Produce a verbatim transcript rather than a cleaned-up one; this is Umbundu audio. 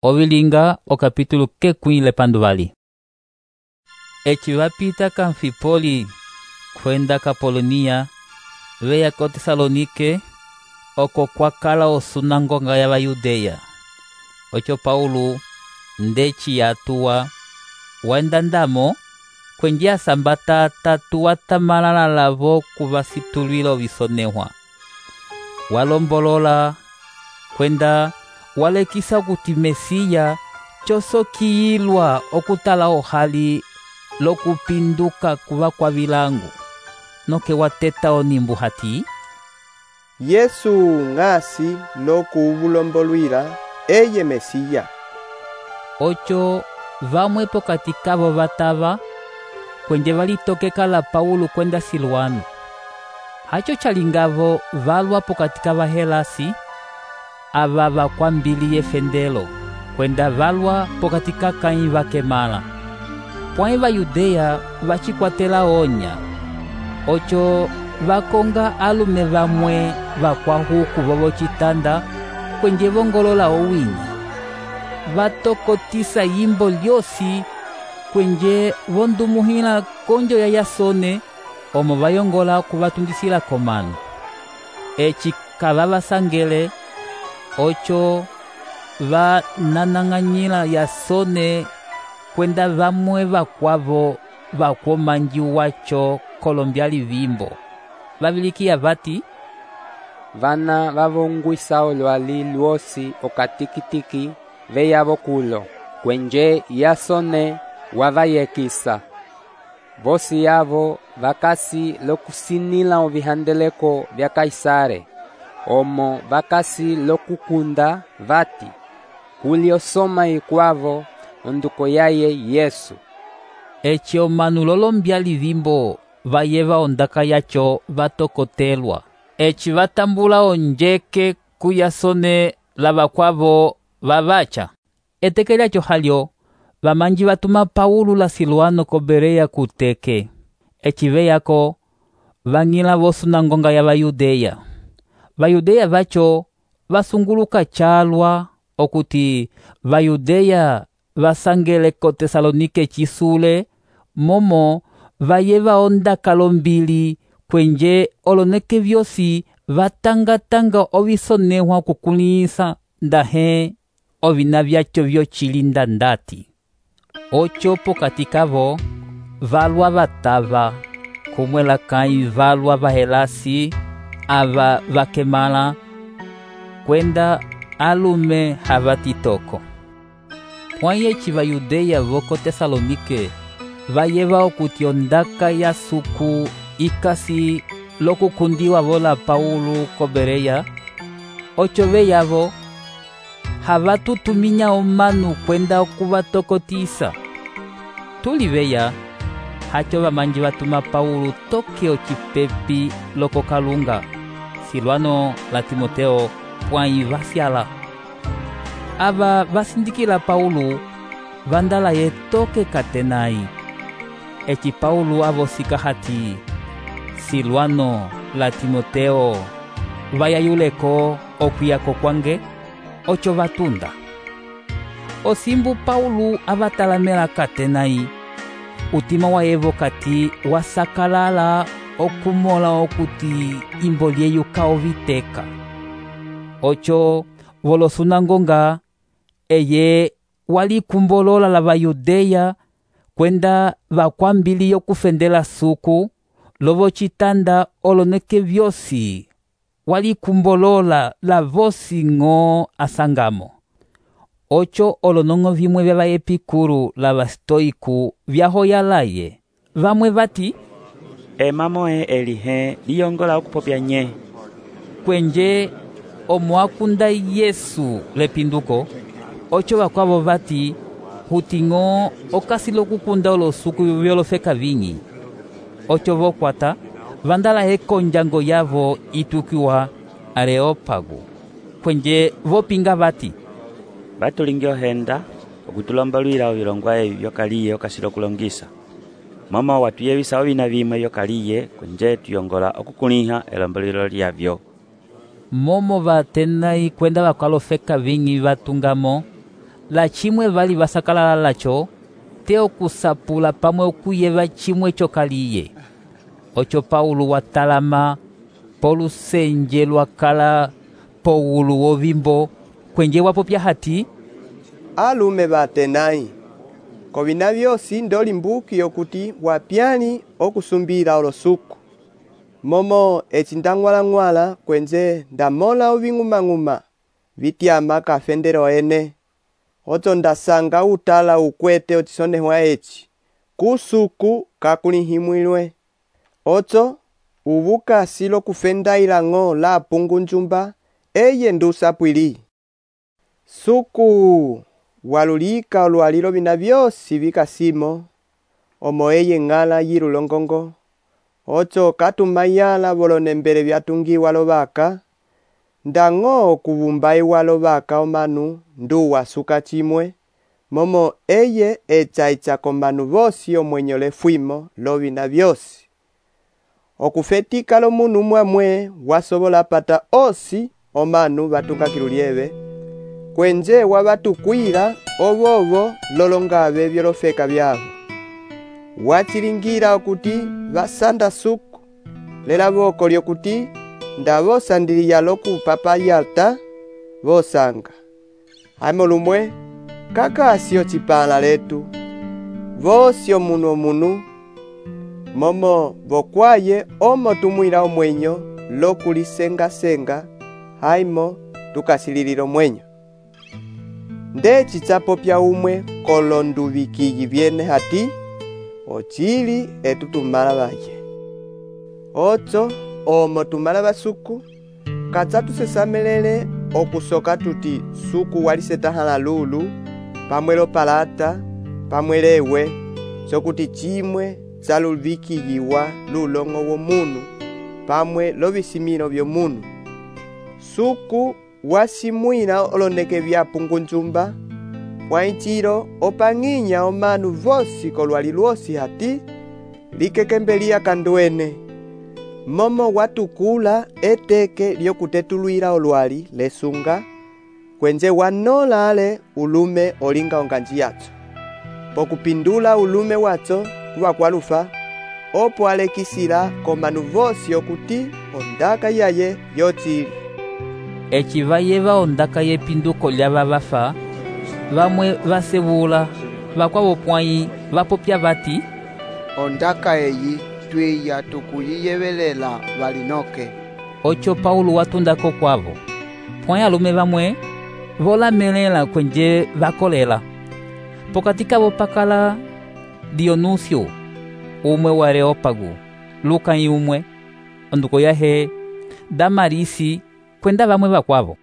Ovilinga o capítulo kekwile panduvali. Eci vapita ka Anfipoli kwenda ka Polonia, veya ko Tesalonike, oko kwakala osunangonga ya Vayudeya. Ocho Paulo ndeci yatuwa wenda ndamo kwenje asambata tatu watamalala lavo kuvasitulwila ovisonehwa. Walombolola kwenda walekisa kuti Mesiya chosokiyilwa okutala ohali lokupinduka kuva kwa vilangu. Noke wateta onimbu hati Yesu ng'asi lokuvulombolwila eye Mesiya. Ocho vamwe pokati kavo vatava kwenje valitokeka la Paulo kwenda Silwano. Hacho chalingavo valwa pokati kava Helasi ava vakwambiliye fendelo kwenda valwa pokati kakai vakemala. Pwai Vayudeya vachikwatela onya. Ocho vakonga alume vamwe vakwahuku vovo chitanda kwenje vongolola owinya. Vatokotisa yimbo lyosi kwenje vondumuhila konjo ya Yasone omo vayongola kuvatundisila komano. Eci kavavasangele. Ocho vananang'anyila Yasone kwenda vamwe vakwavo vakwomanji wacho kolombyali vimbo. Vavilikiya vati vana vavongwisa olwali lwosi okatikitiki veyavo kulo kwenje Yasone wavayekisa. Vosi yavo vakasi lokusinila ovihandeleko vya Kaisare. Omo vakasi lokukunda vati kuli osoma ikwavo onduko yaye Yesu. Eci omanu lolombyali vimbo vayeva ondaka yacho vatokotelwa. Eci vatambula onjeke ku Yasone lava kwavo vavacha. Eteke lyacho halyo vamanji vatuma Paulo la Silwano ko Bereya kuteke. Eci veyako vang'ila vosunangonga ya Vayudeya. Vayudeya vacho vasunguluka chalwa okuti Vayudeya vasangele ko Tesalonike chisule momo vayeva ondaka lombili kwenje oloneke vyosi vatangatanga ovisonehwa kukulisa ndahe ovina vyacho vyochilinda ndati. Ocho pokati kavo valwa vatava kumwela kai valwa vahelasi ava vakemala kwenda alume havatitoko. Pwai eci Vayudeya voko Tesalonike vayeva okuti ondaka ya suku ikasi lokukundiwa vola Paulo ko Bereya. Ocho veyavo havatutuminya omanu kwenda okuvatokotisa. Tuli veya hacho vamanji vatuma Paulo toke ocipepi loko kalunga. Silwano la Timoteo pwai vasyala. Ava vasindikila Paulo vandala ye toke katenai. Eci Paulo avosika hati Silwano la Timoteo vayayuleko okuyako kwange. Ocho vatunda. Osimbu Paulo avatalamela katenai. Utima wa evo kati wasakalala okumola okuti imbo lyeyuka oviteka. Ocho volosunangonga eye walikumbolola la Vayudeya kwenda vakwambili yokufendela suku lovo chitanda oloneke vyosi walikumbolola la vosi ng'o asangamo. Ocho olonongo vimwe vya vaepikuru la vastoiku vyahoyalaye. Vamwe vati emamoe elihe liyongola okupopya nye. Kwenje omwakunda Yesu lepinduko. Ocho vakwavo vati huting'o okasi lokukunda olosuku vyolofeka vinyi. Ocho vokwata vandala ekonjango yavo itukiwa Areopago. Kwenje vopinga vati vatulingi ohenda okutulombalwila ovilongwa evi vyokaliye okasi lokulongisa. Momo watuyevisa ovina vimwe vyokaliye kwenje tuyongola okukuliha elombalwilo lyavyo. Momo vatenai kwenda vakalofeka vinyi vatungamo la chimwe vali vasakalala lacho te okusapula pamwe okuyeva chimwe chokaliye. Ocho Paulo watalama polusenje lwakala powulu wovimbo kwenje wapopya hati, alume ba Atenai, kovina vyosi ndolimbuki okuti wapyani okusumbira olosuku. Momo eci ndang'wala-ng'wala kwenje ndamola oving'uma-ng'uma vityama kafendero ene. Oto ndasanga utala ukwete otisonehwa eci kusuku kakulihimwilwe. Oto uvuka silo kufenda ilang'o la pungu njumba eye ndusapwili. Suku walulika olwalilo vina vyosi vikasimo omo eye ng'ala yilulongongo. Oto katumayala volonembele vyatungiwa lovaka ndang'o kuvumbai walovaka omanu nduwa suka chimwe momo eye echa-echa komanu vosi omwenyo lefwimo lovina vyosi. Okufetika lo munu mwamwe wasobola pata osi omanu vatunga kilulieve kwenje wabatukwila ovovo lolongabe vyolofeka vyavo. Wachilingira okuti vasanda suku lela voko lyokuti ndavosandiliya loku papa yalta vosanga haimo lumwe kakasi ocipala letu vosi omunu omunu momo vokwaye omo tumwila omwenyo lokulisenga-senga haimo tukasililila omwenyo. Ndeci chapopya umwe kolonduvikiyi vyene hati ochili etutumala vaye. Ocho omo tumala basuku katsa tusesamelele okusoka tuti suku walisetahala lulu pamwelo palata pamwelewe sokuti chimwe tsaluvikiyiwa lulongo womunu pamwe lovisimilo vyomunu. Suku wasimwila oloneke vya pungu njumba pwaichilo opang'inya omanu vosi kolwali lwosi hati likekembeliya kanduene momo watukula eteke lyokutetulwila olwali lesunga kwenje wanola ale ulume olinga onganji yacho pokupindula ulume wacho kuwa kwalufa opo alekisila komanu vosi okuti ondaka yaye yochili. Eci vayeva ondaka yepinduko lyava vafa vamwe vasebula vakwavo pwai vapopya vati, ondaka eyi twiya tukuyiyevelela valinoke. Ocho Paulo watundako kwavo pwai alume vamwe volamelela kwenje vakolela. Pokati kavo pakala Dionusio umwe wa Areopago, Luka umwe onduko yahe Damarisi kwenda vamwe vakwavo.